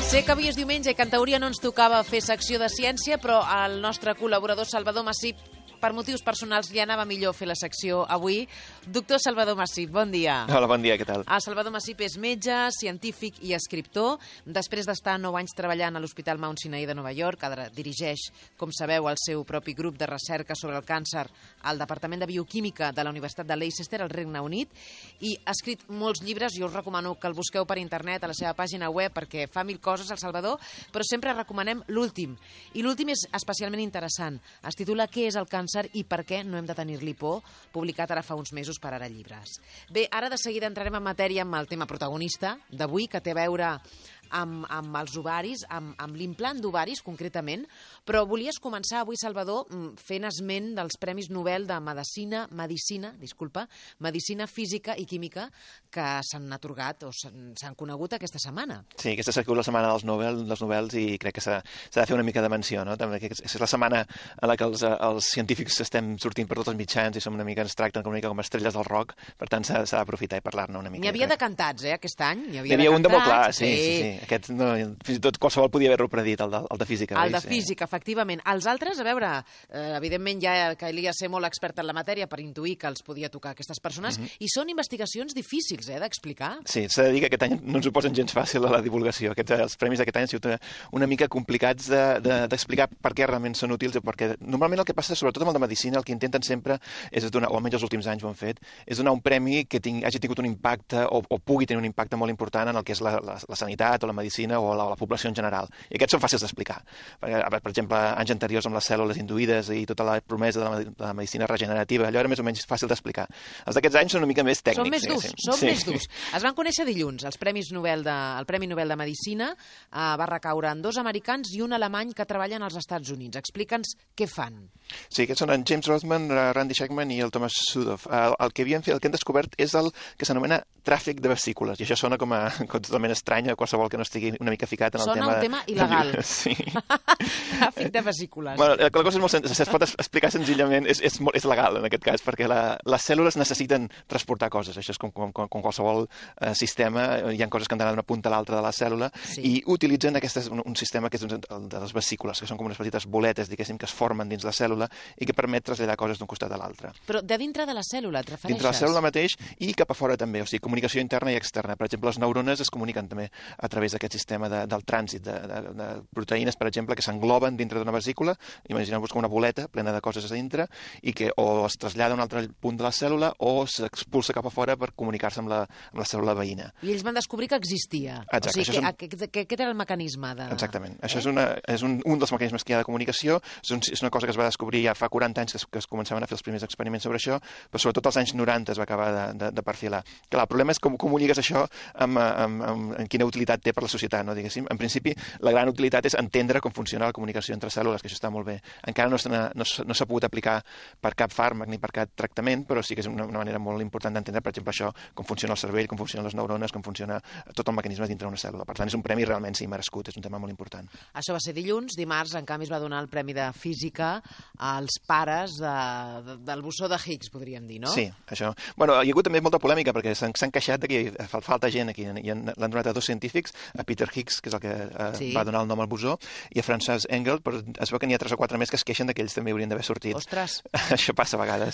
Sé que avui és diumenge i que en teoria no ens tocava fer secció de ciència, però el nostre col·laborador Salvador Massip, per motius personals, li anava millor fer la secció avui. Doctor Salvador Massip, bon dia. Hola, bon dia, què tal? El Salvador Massip és metge, científic i escriptor. Després d'estar 9 anys treballant a l'Hospital Mount Sinai de Nova York, ara dirigeix, com sabeu, el seu propi grup de recerca sobre el càncer al Departament de Bioquímica de la Universitat de Leicester, al Regne Unit, i ha escrit molts llibres. Jo us recomano que el busqueu per internet a la seva pàgina web perquè fa 1000 coses, el Salvador, però sempre recomanem l'últim. I l'últim és especialment interessant. Es titula Què és el càncer i per què no hem de tenir-li por, publicat ara fa uns mesos per Ara Llibres. Bé, ara de seguida entrarem en matèria amb el tema protagonista d'avui, que té a veure amb els ovaris, amb l'implant d'ovaris concretament, però volies començar avui, Salvador, fent esment dels Premis Nobel de Medicina Física i Química que s'han atorgat o s'han conegut aquesta setmana. Sí, aquesta s'ha sigut la setmana dels Nobels i crec que s'ha de fer una mica de menció, no? També que és la setmana en la que els científics estem sortint per tots els mitjans i ens tracten una mica com estrelles del rock, per tant s'ha d'aprofitar i parlar-ne una mica. N'hi havia de cantats, aquest any? N'hi havia un de molt clar, sí. Aquest, no, fins i tot qualsevol podia haver-lo predit, el de física. El de física, efectivament. Els altres, a veure, evidentment ja calia ser molt expert en la matèria per intuir que els podia tocar aquestes persones, i són investigacions difícils d'explicar. Sí, s'ha de dir que aquest any no ens ho posen gens fàcil a la divulgació. Els premis d'aquest any han sigut una mica complicats d'explicar per què realment són útils, perquè normalment el que passa, sobretot amb el de medicina, el que intenten sempre és donar, o almenys els últims anys ho han fet, és donar un premi que hagi tingut un impacte o pugui tenir un impacte molt important en el que és la sanitat o la medicina o la població en general. I aquests són fàcils d'explicar. Per exemple, anys anteriors amb les cèl·lules induïdes i tota la promesa de la medicina regenerativa, allò era més o menys fàcil d'explicar. Els d'aquests anys són una mica més tècnics. Són més durs. Es van conèixer dilluns. El Premi Nobel de Medicina va recaure en 2 americans i un alemany que treballen als Estats Units. Explica'ns què fan. Sí, aquests són en James Rothman, Randy Schekman i el Thomas Sudoff. El que han descobert és el que s'anomena tràfic de vesícules, i això sona com totalment estrany a qualsevol que no estigui una mica ficat en el tema... Sona un tema il·legal. Sí. Tràfic de vesícules. Bueno, la cosa és molt senzilla, es pot explicar senzillament, és legal en aquest cas, perquè les cèl·lules necessiten transportar coses, això és com qualsevol sistema, hi ha coses que han d'anar d'una punta a l'altra de la cèl·lula, i utilitzen un sistema que és el de les vesícules, que són com unes petites boletes, diguéssim, que es formen dins la cèl·lula i que permet traslladar coses d'un costat a l'altre. Però de dintre de la cèl·lula, et refereixes? Dintre la cèl·lula mateix i cap a fora també, o sigui, comunicació interna i externa. Per exemple, les neurones es comuniquen també a través d'aquest sistema del trànsit de proteïnes, per exemple, que s'engloben dintre d'una vesícula, imagineu-vos com una boleta plena de coses a dintre, i que o es trasllada a un altre punt de la cèl·lula o s'expulsa cap a fora per comunicar-se amb la cèl·lula veïna. I ells van descobrir que existia. Exacte. O sigui, aquest era el mecanisme de... Exactament. Això és un dels mecanismes que hi ha de comunicació, és una cosa que es va descobrir ja fa 40 anys que es començaven a fer els primers experiments sobre això, però sobretot als anys 90 es va acabar de perfilar. Clar, el problema és com ho lligues això amb quina utilitat té per la societat, no, diguéssim. En principi, la gran utilitat és entendre com funciona la comunicació entre cèl·lules, que això està molt bé. Encara no s'ha pogut aplicar per cap fàrmac ni per cap tractament, però sí que és una manera molt important d'entendre, per exemple, això, com funciona el cervell, com funcionen les neurones, com funciona tot el mecanisme dintre d'una cèl·lula. Per tant, és un premi realment merescut, és un tema molt important. Això va ser dilluns. Dimarts, en canvi, es va donar el Premi de Física als pares del bosó de Higgs, podríem dir, no? Sí, això. Bueno, hi ha hagut també molta polèmica, perquè s'han queixat que falta gent aquí, i l'han donat a 2 científics, a Peter Higgs, que és el que va donar el nom al bosó, i a Frances Engel, però es veu que n'hi ha 3 o 4 més que es queixen que ells també haurien d'haver sortit. Ostres! Això passa a vegades.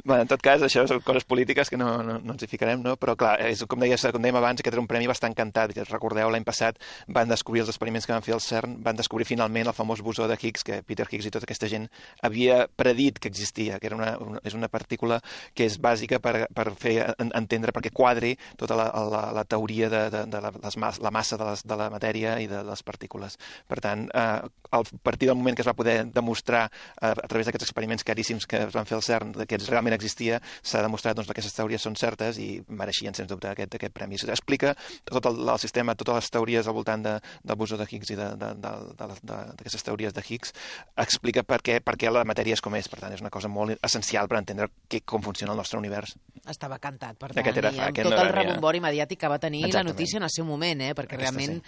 Bueno, en tot cas, això són coses polítiques que no ens hi ficarem, no? Però clar, com dèiem abans, aquest era un premi bastant cantat. Recordeu, l'any passat van descobrir els experiments que van fer al CERN, van descobrir finalment el famós bosó de Higgs, que Peter Higgs i tota aquesta gent havia predit que existia, que és una partícula que és bàsica per fer entendre, perquè quadri tota la teoria de la massa de la matèria i de les partícules. Per tant, a partir del moment que es va poder demostrar a través d'aquests experiments caríssims que es van fer al CERN que realment existia, s'ha demostrat que aquestes teories són certes i mereixien, sens dubte, aquest premi. Explica tot el sistema, totes les teories al voltant del bosó de Higgs i d'aquestes teories de Higgs, explica per què la matèria és com és. Per tant, és una cosa molt essencial per entendre com funciona el nostre univers. Estava cantat, per tant, i amb tot el rebombori mediàtic que va tenir la notícia en el seu moment, perquè realment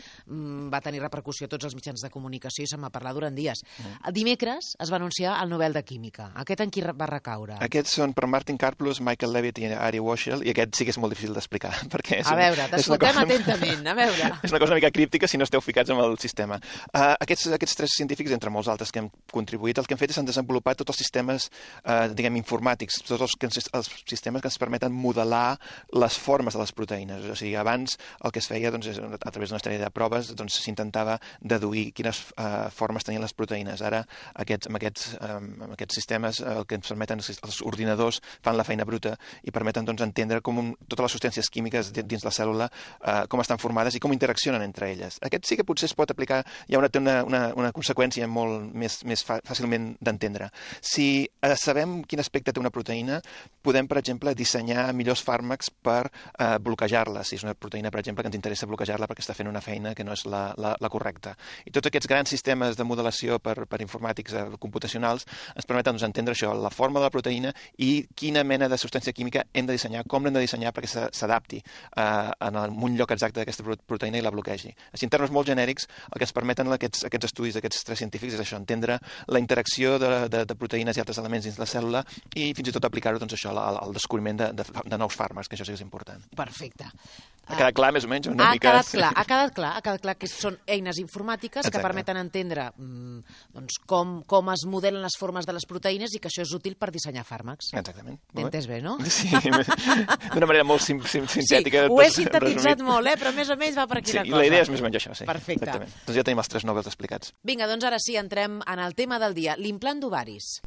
va tenir repercussió a tots els mitjans de comunicació i se'n va parlar durant dies. El dimecres es va anunciar el Nobel de Química. Aquest en qui va recaure? Aquests són per Martin Karplus, Michael Levitt i Ari Waschel, i aquest sí que és molt difícil d'explicar. A veure, t'escoltem atentament, a veure. És una cosa una mica críptica si no esteu ficats en el sistema. Aquests tres científics, entre molts altres que hem contribuït, el que han fet és han desenvolupat tots els sistemes, informàtics, tots els sistemes que ens permeten modelar les formes de les proteïnes. O sigui, abans el que es feia a través d'una sèrie de proves s'intentava deduir quines formes tenien les proteïnes. Ara, amb aquests sistemes, el que ens permeten és que els ordinadors fan la feina bruta i permeten entendre com totes les substàncies químiques dins la cèl·lula com estan formades i com interaccionen entre elles. Aquest sí que potser es pot aplicar, hi ha una conseqüència molt més fàcilment d'entendre. Si sabem quin aspecte té una proteïna, podem, per exemple, dissenyar millors fàrmacs per bloquejar-la. Si és una proteïna, per exemple, que ens interessa bloquejar-la perquè està fent una feina que no és la correcta. I tots aquests grans sistemes de modelació per informàtics computacionals ens permeten entendre això, la forma de la proteïna i quina mena de substància química hem de dissenyar, com l'hem de dissenyar perquè s'adapti en un lloc exacte d'aquesta proteïna i la bloquegi. Així, en termes molt genèrics, el que ens permeten aquests estudis d'aquests tres científics és això, entendre la interacció de proteïnes i altres elements dins la cèl·lula i fins i tot aplicar-ho al descobriment de nous fàrmacs, que això sí que és important. Perfecte. Ha quedat clar, més o menys? Ha quedat clar que són eines informàtiques que permeten entendre com es modelen les formes de les proteïnes i que això és útil per dissenyar fàrmacs. Exactament. T'he entès bé, no? Sí, d'una manera molt sintètica. Sí, ho he sintetitzat molt, però més o menys va per aquí la cosa. Sí, la idea és més o menys això, sí. Perfecte. Doncs ja tenim els tres Nobels explicats. Vinga, doncs ara sí, entrem en el tema del dia, l'implant d'ovaris.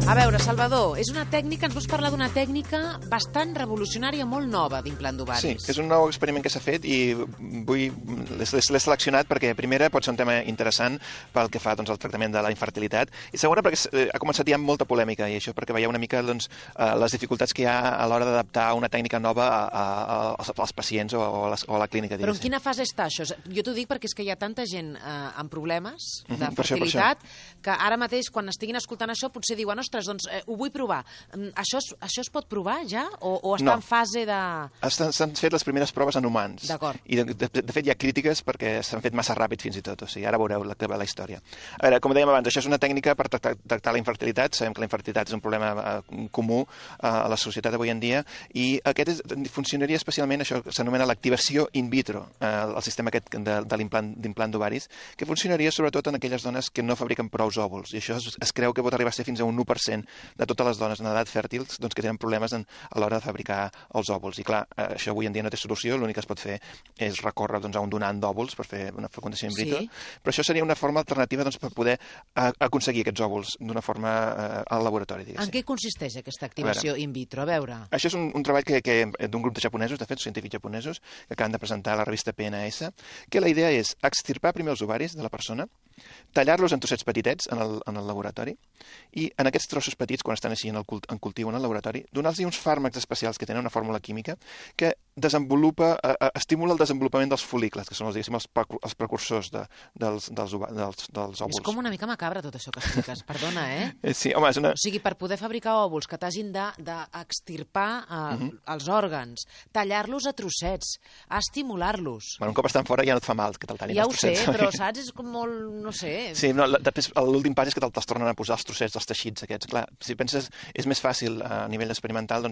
A veure, Salvador, és una tècnica, ens vols parlar d'una tècnica bastant revolucionària, molt nova, d'implant d'ovaris. Sí, és un nou experiment que s'ha fet i l'he seleccionat perquè, primera, pot ser un tema interessant pel que fa al tractament de la infertilitat i, segona, perquè ha començat ja amb molta polèmica i això perquè veieu una mica les dificultats que hi ha a l'hora d'adaptar una tècnica nova als pacients o a la clínica. Però en quina fase està això? Jo t'ho dic perquè és que hi ha tanta gent amb problemes de fertilitat que ara mateix, quan estiguin escoltant això, potser diuen, ostres, doncs ho vull provar. Això es pot provar ja? O està en fase de... S'han fet les primeres proves en humans. D'acord. I de fet hi ha crítiques perquè s'han fet massa ràpid fins i tot. O sigui, ara veureu la història. A veure, com dèiem abans, això és una tècnica per tractar la infertilitat. Sabem que la infertilitat és un problema comú a la societat avui en dia i aquest funcionaria especialment, això s'anomena l'activació in vitro, el sistema aquest de l'implant d'ovaris, que funcionaria sobretot en aquelles dones que no fabriquen prous òvuls. I això es creu que pot arribar a ser fins a un 1% de totes les dones en edat fèrtil que tenen problemes a l'hora de fabricar els òvuls. I clar, això avui en dia no té solució, l'únic que es pot fer és recórrer a un donant d'òvuls per fer una fecundació in vitro, però això seria una forma alternativa per poder aconseguir aquests òvuls d'una forma al laboratori, diguéssim. En què consisteix aquesta activació in vitro? A veure... Això és un treball d'un grup de japonesos, de fet, científics japonesos, que acaben de presentar a la revista PNAS, que la idea és extirpar primer els ovaris de la persona, tallar-los en trossets petitets en el laboratori i en aquests trossos petits, quan estan així en cultiu en el laboratori, donar-los uns fàrmacs especials que tenen una fórmula química que estimula el desenvolupament dels fol·licles, que són els precursors dels òvuls. És com una mica macabra tot això que expliques, perdona, eh? Sí, home, és una... O sigui, per poder fabricar òvuls que t'hagin d'extirpar els òrgans, tallar-los a trossets, estimular-los. Bueno, un cop estan fora ja no et fa mal que te'l tallin ja els trossets. Ja ho sé, però saps? És com molt... no sé... Sí, després l'últim pas és que te'ls tornen a posar els trossets dels teixits aquests. Clar, si penses, és més fàcil a nivell experimental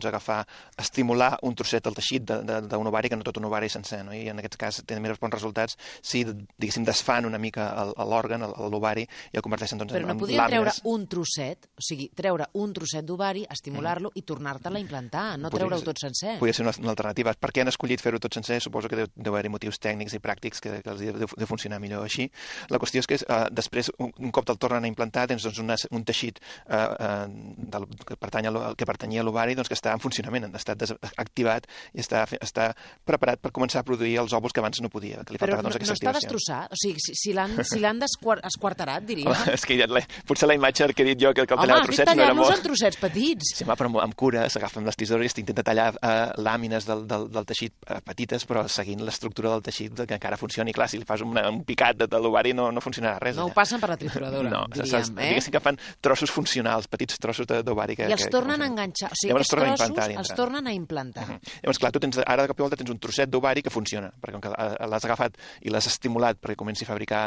estimular un trosset del teixit d'un ovari que no tot un ovari sencer, no? I en aquest cas tenen més bons resultats si, diguéssim, desfan una mica l'òrgan, l'ovari, i el converteixen en làmines. Però no podrien treure un trosset, o sigui, treure un trosset d'ovari, estimular-lo i tornar-te'l a implantar, no treure-ho tot sencer. Podria ser una alternativa. Per què han escollit fer-ho tot sencer? Suposo que deu haver-hi motius tècnics i pràctics que els deu funcionar millor així. La qüestió és que després, un cop te'l tornen a implantar, tens un teixit que pertanyia a l'ovari que està en funcionament, està activat i està preparat per començar a produir els òvuls que abans no podia. Però no està destrossat? O sigui, si l'han esquarterat, diria. És que potser la imatge que he dit jo, que el tallava a trossets, no era molt... Home, has dit tallar-los en trossets petits. Sí, però amb cura s'agafen les tisores i s'intenta tallar làmines del teixit petites, però seguint l'estructura del teixit que encara funcioni. Clar, si li fas un picat de l'ovari no funcionarà passarà res. No ho passen per la trituradora, diríem. Diguéssim que fan trossos funcionals, petits trossos d'ovari. I els tornen a enganxar. O sigui, aquests trossos els tornen a implantar. Llavors, clar, tu ara de cop i volta tens un trosset d'ovari que funciona, perquè com que l'has agafat i l'has estimulat perquè comenci a fabricar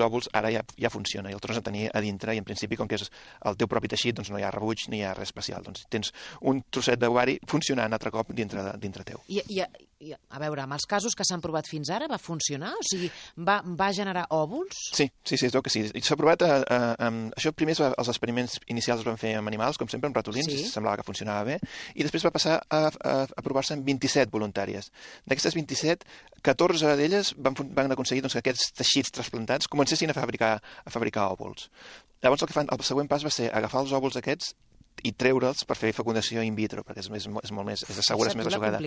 òvuls, ara ja funciona i el tornes a tenir a dintre i en principi, com que és el teu propi teixit, doncs no hi ha rebuig ni hi ha res especial. Doncs tens un trosset d'ovari funcionant altre cop dintre teu. I a veure, amb els casos que s'han provat fins ara, va funcionar? O sigui, va generar òvuls? Sí, es veu que sí. S'ha provat, això primer els experiments inicials es van fer amb animals, com sempre, amb ratolins, semblava que funcionava bé, i després va passar a provar-se amb 27 voluntàries. D'aquestes 27, 14 d'elles van aconseguir que aquests teixits trasplantats comencessin a fabricar òvuls. Llavors el següent pas va ser agafar els òvuls aquests i treure'ls per fer fecundació in vitro, perquè és molt més segura, és més assegurada.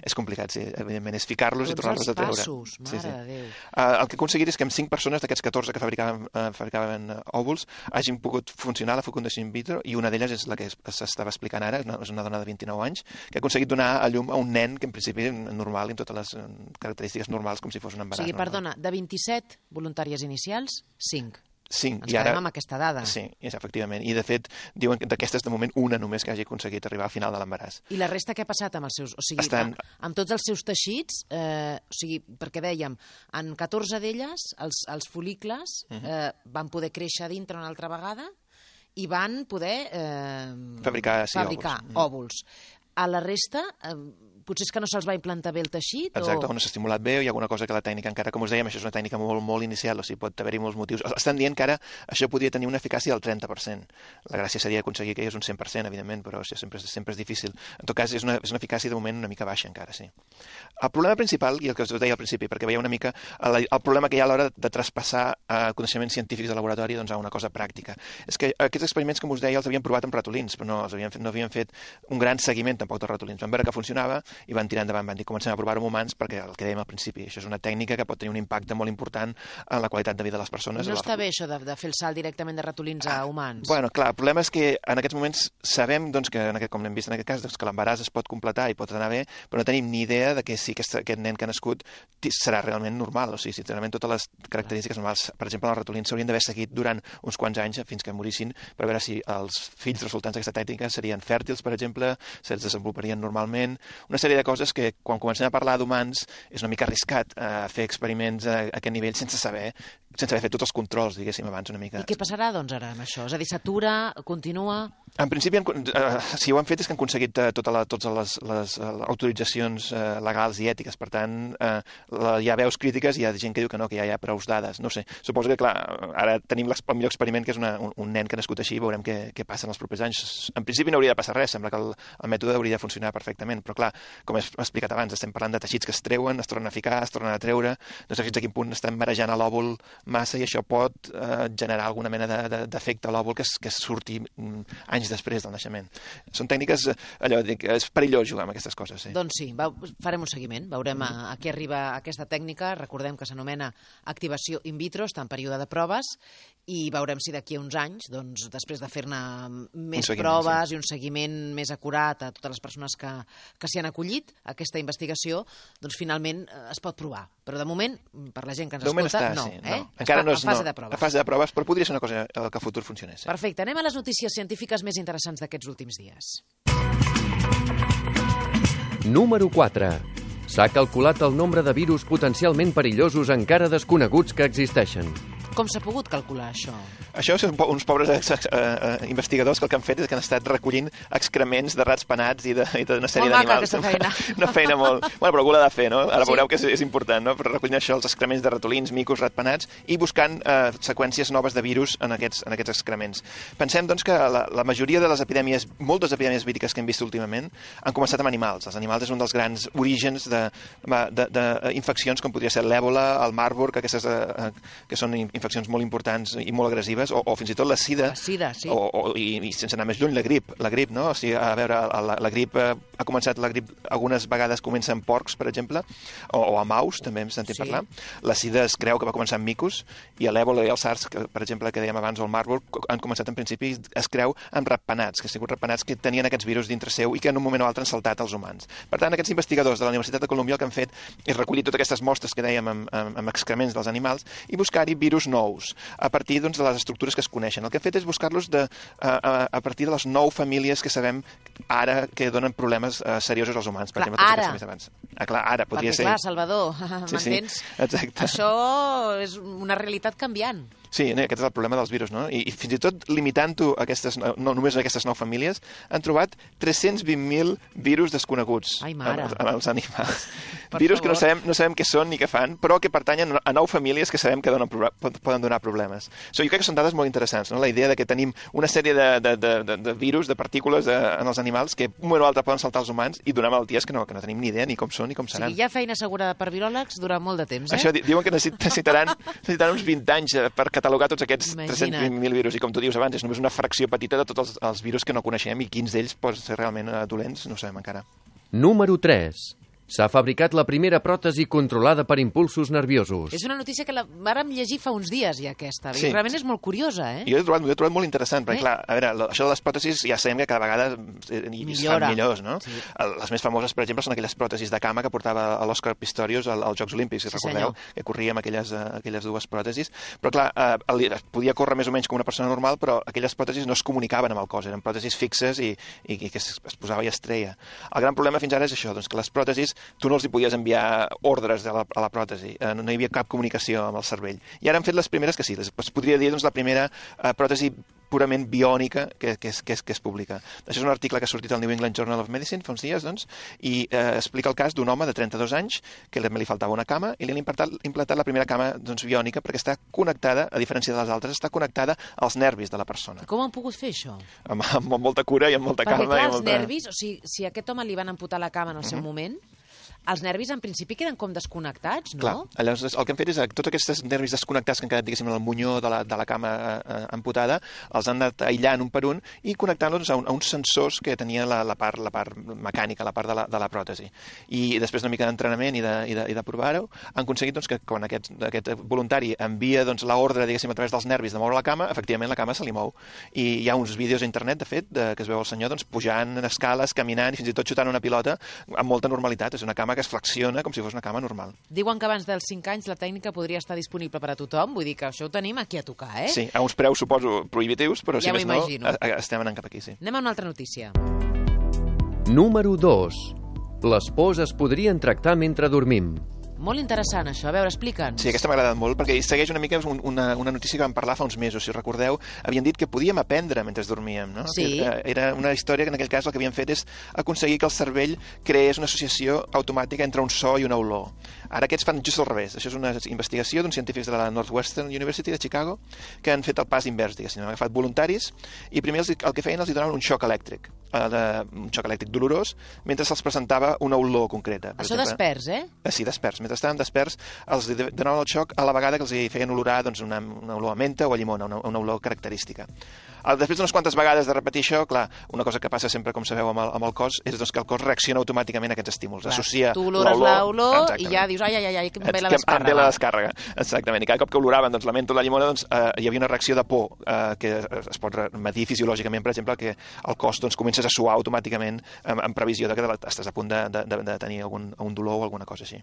És complicat, sí, evidentment, és ficar-los i tornar-los a treure. Passos, mare de Déu. El que he aconseguit és que amb 5 persones d'aquests 14 que fabricaven òvuls hagin pogut funcionar la fecundació in vitro i una d'elles és la que s'estava explicant ara, és una dona de 29 anys, que ha aconseguit donar a llum a un nen que en principi és normal i amb totes les característiques normals com si fos un embaràs. O sigui, perdona, de 27 voluntàries inicials, 5. 5. Ens quedem amb aquesta dada. Sí, efectivament. I, de fet, diuen que d'aquestes, de moment, una només que hagi aconseguit arribar al final de l'embaràs. I la resta què ha passat amb els seus... O sigui, amb tots els seus teixits, o sigui, perquè dèiem, en 14 d'elles, els folícules van poder créixer dintre una altra vegada i van poder fabricar òvuls. A la resta... potser és que no se'ls va implantar bé el teixit? Exacte, o no s'ha estimulat bé o hi ha alguna cosa que la tècnica encara, com us dèiem, això és una tècnica molt inicial, o sigui, pot haver-hi molts motius. Estan dient que ara això podria tenir una eficàcia del 30%. La gràcia seria aconseguir que hi hagués un 100%, evidentment, però això sempre és difícil. En tot cas, és una eficàcia de moment una mica baixa encara, sí. El problema principal, i el que us deia al principi, perquè veieu una mica el problema que hi ha a l'hora de traspassar coneixements científics de laboratori a una cosa pràctica, és que aquests experiments, com us deia, els havien provat amb ratolins, però no havien fet un gran seguiment tampoc dels ratolins. Van veure que funcionava i van tirar endavant, van dir comencem a provar-ho amb humans perquè el que dèiem al principi, això és una tècnica que pot tenir un impacte molt important en la qualitat de vida de les persones. No està bé això de fer el salt directament de ratolins a humans? Bueno, clar, el problema és que en aquests moments sabem, doncs, com hem vist en aquest cas, doncs, que l'embaràs es pot completar i pot anar bé, però no tenim ni idea de que si aquest nen que ha nascut serà realment normal, o sigui, si realment totes les característiques normals, per exemple, els ratolins s'haurien d'haver seguit durant uns quants anys fins que morissin per veure si els fills resultants d'aquesta tècnica serien fèrtils, per exemple, se'ls desenvoluparien normalment, una sèrie de coses que quan comencem a parlar d'humans és una mica arriscat fer experiments a aquest nivell sense haver fet tots els controls, diguéssim, abans una mica. I què passarà, doncs, ara amb això? És a dir, s'atura, continua... En principi, si ho han fet és que han aconseguit totes les autoritzacions legals i ètiques. Per tant, hi ha veus crítiques i hi ha gent que diu que no, que ja hi ha prous dades. No sé, suposo que, clar, ara tenim el millor experiment, que és un nen que ha nascut així, i veurem què passa en els propers anys. En principi no hauria de passar res, sembla que el mètode hauria de funcionar perfectament, però, clar, com he explicat abans, estem parlant de teixits que es treuen, es tornen a ficar, es tornen a treure, no sé fins a quin punt estem marejant a l'òvul massa i això pot generar alguna mena d'efecte a l'òvul que surti anys després del naixement. Són tècniques, és perillós jugar amb aquestes coses. Sí. Doncs sí, farem un seguiment, veurem a què arriba aquesta tècnica, recordem que s'anomena activació in vitro, està en període de proves, i veurem si d'aquí a uns anys, doncs, després de fer-ne més proves i un seguiment més acurat a totes les persones que s'hi han acollit a aquesta investigació, doncs finalment es pot provar. Però de moment, per la gent que ens escolta, no. Encara no és a fase de proves, però podria ser una cosa que a futur funcionés. Perfecte, anem a les notícies científiques més interessants d'aquests últims dies. Número 4. S'ha calculat el nombre de virus potencialment perillosos encara desconeguts que existeixen. Com s'ha pogut calcular això? Això són uns pobres investigadors que el que han fet és que han estat recollint excrements de rats penats i d'una sèrie d'animals. Molt maca aquesta feina. Una feina molt... Bueno, però algú l'ha de fer, no? Ara veureu que és important, no? Però recollint això, els excrements de ratolins, micos, ratpenats, i buscant seqüències noves de virus en aquests excrements. Pensem, doncs, que la majoria de les epidèmies, moltes epidèmies víriques que hem vist últimament, han començat amb animals. Els animals és un dels grans orígens d'infeccions, com podria ser l'èbola, el Marburg, aquestes que són infeccions molt importants i molt agressives, o fins i tot la sida. La sida, sí. I sense anar més lluny, la grip, no? O sigui, a veure, la grip ha començat, algunes vegades comença amb porcs, per exemple, o amb aus, també hem sentit parlar. La sida es creu que va començar amb micos, i l'èbola i el SARS, per exemple, que dèiem abans, o el Marburg, han començat en principi, es creu, amb ratpenats, que han sigut ratpenats que tenien aquests virus dintre seu i que en un moment o altre han saltat als humans. Per tant, aquests investigadors de la Universitat de Colúmbia el que han fet és recollir totes aquestes mostres que dèiem amb excrements dels animals i buscar-hi virus nous, a partir doncs, de les estructures que es coneixen. El que hem fet és buscar-los a partir de les 9 famílies que sabem ara que donen problemes seriosos als humans. Per exemple, ara. Clar, ara podria ser. Perquè, clar, Salvador, m'entens? Exacte. Això és una realitat canviant. Sí, aquest és el problema dels virus, no? I fins i tot limitant-ho no només a aquestes 9 famílies, han trobat 320.000 virus desconeguts en els animals. Virus que no sabem què són ni què fan, però que pertanyen a 9 famílies que sabem que poden donar problemes. Jo crec que són dades molt interessants, no? La idea de que tenim una sèrie de virus, de partícules en els animals que un moment o altre poden saltar als humans i donar malalties que no tenim ni idea ni com són ni com seran. O sigui, hi ha feina assegurada per viròlegs durant molt de temps, Això diuen que necessitaran uns 20 anys per catalogar tots aquests 320.000 virus. I com tu dius abans, és només una fracció petita de tots els virus que no coneixem i quins d'ells poden ser realment dolents, no ho sabem encara. Número 3. S'ha fabricat la primera pròtesi controlada per impulsos nerviosos. És una notícia que la vàrem llegir fa uns dies, ja, aquesta. Sí. I realment és molt curiosa, Jo l'he trobat molt interessant, perquè, clar, a veure, això de les pròtesis ja sabem que cada vegada es fan millors, no? Sí. Les més famoses, per exemple, són aquelles pròtesis de cama que portava l'Òscar Pistorius als Jocs Olímpics, si recordeu, que corria amb aquelles dues pròtesis. Però, clar, podia córrer més o menys com una persona normal, però aquelles pròtesis no es comunicaven amb el cos, eren pròtesis fixes i que es posava i es treia. El gran problema fins ara és això, doncs, que les pròtesis tu no els hi podies enviar ordres a la pròtesi, no hi havia cap comunicació amb el cervell. I ara han fet les primeres que sí, es podria dir la primera pròtesi purament biònica que es publica. Això és un article que ha sortit al New England Journal of Medicine fa uns dies, doncs, i explica el cas d'un home de 32 anys que li faltava una cama i li han implantat la primera cama biònica perquè està connectada, a diferència de les altres, està connectada als nervis de la persona. Com han pogut fer això? Amb molta cura i amb molta calma. Perquè, clar, els nervis, o sigui, si a aquest home li van amputar la cama en el seu moment, els nervis en principi queden com desconnectats, no? Clar, llavors el que hem fet és tots aquests nervis desconnectats que han quedat, diguéssim, en el munyó de la cama amputada, els han anat aïllant un per un i connectant-los a uns sensors que tenia la part mecànica, la part de la pròtesi. I després una mica d'entrenament i de provar-ho, han aconseguit doncs, que quan aquest voluntari envia l'ordre, diguéssim, a través dels nervis de moure la cama, efectivament la cama se li mou. I hi ha uns vídeos a internet, de fet, que es veu el senyor pujant escales, caminant i fins i tot xutant una pilota amb molta normalitat. És una cama que es flexiona com si fos una cama normal. Diuen que abans dels 5 anys la tècnica podria estar disponible per a tothom, vull dir que això ho tenim aquí a tocar, eh? Sí, a uns preus, suposo, prohibitius, però si més no, estem anant cap aquí, sí. Anem a una altra notícia. Número 2. Les pors es podrien tractar mentre dormim. Molt interessant, això. A veure, explica'ns. Sí, aquesta m'ha agradat molt, perquè segueix una mica una notícia que vam parlar fa uns mesos, si recordeu. Havien dit que podíem aprendre mentre dormíem, no? Sí. Era una història que en aquell cas el que havien fet és aconseguir que el cervell creés una associació automàtica entre un so i una olor. Ara aquests fan just al revés. Això és una investigació d'uns científics de la Northwestern University de Chicago que han fet el pas invers, diguéssim. Han agafat voluntaris i primer el que feien els donaven un xoc elèctric, dolorós, mentre se'ls presentava una olor concreta. Això desperts, eh? Sí, desperts. Mentre estaven desperts, els donaven el xoc a la vegada que els feien olorar una olor a menta o a llimona, una olor característica. Després d'unes quantes vegades de repetir això, clar, una cosa que passa sempre, com sabeu, amb el cos, és que el cos reacciona automàticament a aquests estímuls. Associa tu olores l'olor i ja dius, ai, que em ve la descàrrega. Em ve la descàrrega, exactament. I cada cop que oloraven la menta o la llimona, hi havia una reacció de por que es pot medir fisiològicament, per exemple, que el cos comences a suar automàticament en previsió de que estàs a punt de tenir un dolor o alguna cosa així.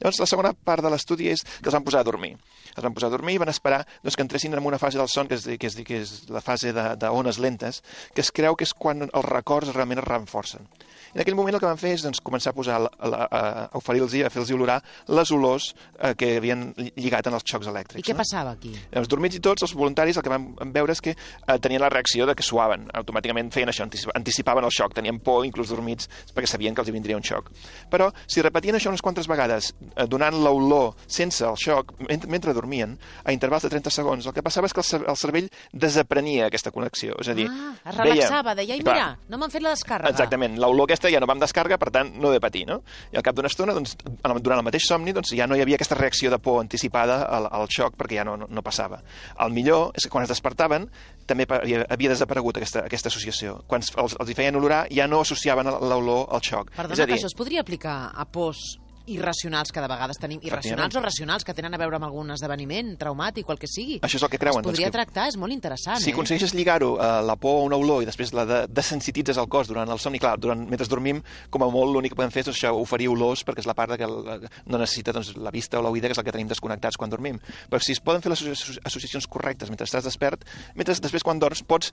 Llavors, la segona part de l'estudi és que els van posar a dormir. Els van posar a dormir i van esperar que entressin en una fase del son que és la fase d'ones lentes, que es creu que és quan els records realment es renforcen. I en aquell moment el que van fer és començar a posar a oferir-los, a fer-los olorar les olors que havien lligat en els xocs elèctrics. I què passava aquí? Llavors, dormits i tots, els voluntaris el que van veure és que tenien la reacció de que suaven. Automàticament feien això, anticipaven el xoc, tenien por, inclús dormits, perquè sabien que els hi vindria un xoc. Però, si repetien això unes quantes vegades, donant l'olor sense el xoc, mentre dormien, a intervals de 30 segons, el que passava és que el cervell desaprenia aquesta connexió. És a dir, es relaxava, deia, mira, no m'han fet la descàrrega. Exactament, l'olor aquesta ja no va amb descàrrega, per tant, no he de patir, no? I al cap d'una estona, durant el mateix somni, ja no hi havia aquesta reacció de por anticipada al xoc, perquè ja no passava. El millor és que quan es despertaven, també havia desaparegut aquesta associació. Quan els hi feien olorar, ja no associaven l'olor al xoc. Perdona, que això es podria aplicar a pors irracionals que de vegades tenim, irracionals o racionals, que tenen a veure amb algun esdeveniment traumàtic o el que sigui. Això és el que creuen. Es podria tractar, és molt interessant. Si aconsegueixes lligar-ho a la por a una olor i després la desensititzes el cos durant el somni, clar, mentre dormim, com a molt l'únic que podem fer és això, oferir olors, perquè és la part que no necessita la vista o l'oïda, que és el que tenim desconnectats quan dormim. Però si es poden fer les associacions correctes mentre estàs despert, després quan dorms pots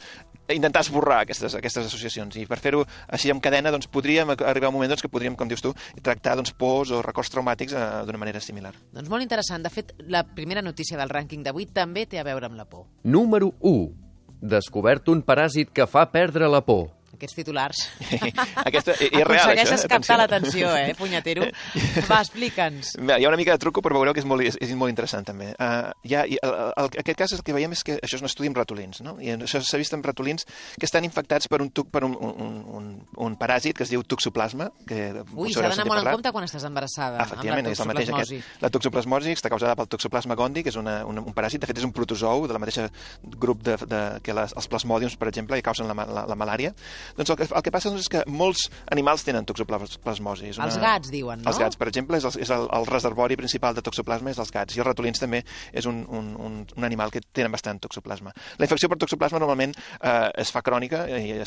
intentar esborrar aquestes associacions, i per fer-ho així en cadena podríem arribar a un moment que podríem, com dius tu, tractar pors o records traumàtics d'una manera similar. Doncs molt interessant. De fet, la primera notícia del rànquing d'avui també té a veure amb la por. Número 1. Descobert un paràsit que fa perdre la por. Aquests titulars. Aquesta és real, aconsegueixes captar l'atenció, punyatero? Va, explica'ns. Hi ha una mica de truco, però veureu que és molt interessant, també. Aquest cas el que veiem és que això és un estudi amb ratolins, no? I això s'ha vist amb ratolins que estan infectats per un paràsit que es diu toxoplasma. Ui, s'ha d'anar molt en compte quan estàs embarassada. Efectivament, és el mateix aquest. La toxoplasmosi està causada pel toxoplasma gondii, que és un paràsit, de fet és un protozou de la mateixa grup que els plasmòdiums, per exemple, que causen la malària. Doncs el que passa és que molts animals tenen toxoplasmosi. Els gats, diuen, no? Els gats, per exemple, és el reservori principal de toxoplasma és els gats, i els ratolins també és un animal que tenen bastant toxoplasma. La infecció per toxoplasma normalment es fa crònica, i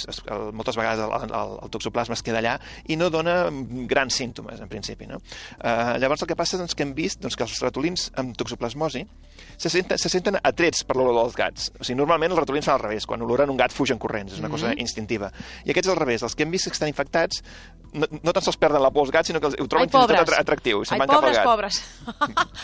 moltes vegades el toxoplasma es queda allà i no dona grans símptomes, en principi, no? Llavors el que passa és que hem vist que els ratolins amb toxoplasmosi se senten atrets per l'olor dels gats. O sigui, normalment els ratolins fan al revés, quan oloren un gat fugen corrents, és una cosa instintiva. I aquests al revés, els que hem vist que estan infectats no tan sols perden la por als gats, sinó que ho troben fins i tot atractiu i se'n van cap al gat. Pobres.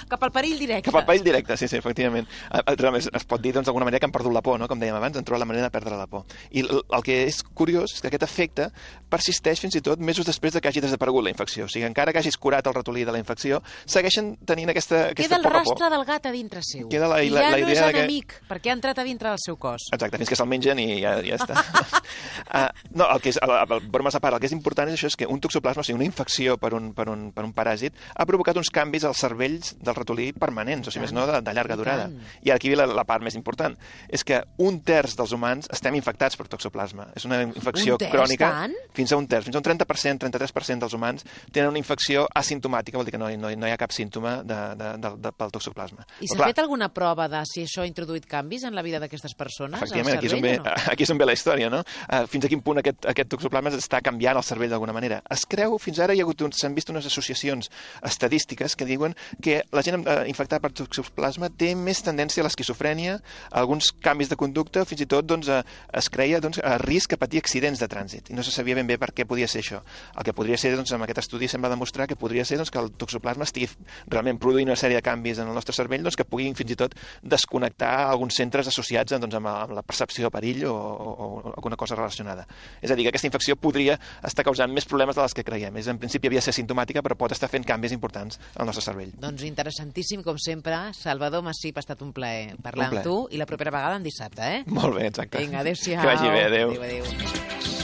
Cap al perill directe. Cap al perill directe, sí, efectivament. Es pot dir d'alguna manera que han perdut la por, no? Com dèiem abans, han trobat la manera de perdre la por. I el que és curiós és que aquest efecte persisteix fins i tot mesos després que hagi desaparegut la infecció. O sigui, encara que hagis curat el ratolí de la infecció, segueixen tenint aquesta queda el rastre del gat a dintre seu. Queda I ja no és enemic, perquè ha entrat a dintre del seu cos. Exacte, fins que se'l mengen i ja està. No, el que és, bromes a part, el que és important és això, és que un toxoplasma, o sigui, una infecció per un paràsit, ha provocat uns canvis als cervells del ratolí permanents, o sigui, més no de llarga durada. I aquí ve la part més important, és que 1/3 dels humans estem infectats per toxoplasma. És una infecció crònica. Fins a 1/3, fins a un 30%, 33% dels humans tenen una infecció asimptomàtica, vol dir que no hi ha cap símptoma pel toxoplasma. I s'ha fet alguna prova de si això ha introduït canvis en la vida d'aquestes persones? Efectivament, aquí és on ve la història, no? Fins a quin punt aquest toxoplasma està canviant el cervell d'alguna manera. Es creu, fins ara s'han vist unes associacions estadístiques que diuen que la gent infectada per toxoplasma té més tendència a l'esquizofrènia, a alguns canvis de conducta, fins i tot es creia a risc a patir accidents de trànsit. I no se sabia ben bé per què podia ser això. El que podria ser, amb aquest estudi sembla demostrar que podria ser que el toxoplasma estigui realment produint una sèrie de canvis en el nostre cervell que puguin fins i tot desconnectar alguns centres associats amb la percepció de perill o alguna cosa relacionada. És a dir, que aquesta infecció podria estar causant més problemes de les que creiem. En principi havia de ser simptomàtica, però pot estar fent canvis importants al nostre cervell. Doncs interessantíssim, com sempre. Salvador Massip, ha estat un plaer parlar amb tu, i la propera vegada en dissabte, Molt bé, exacte. Vinga, adéu-siau. Que vagi bé, adéu. Adéu.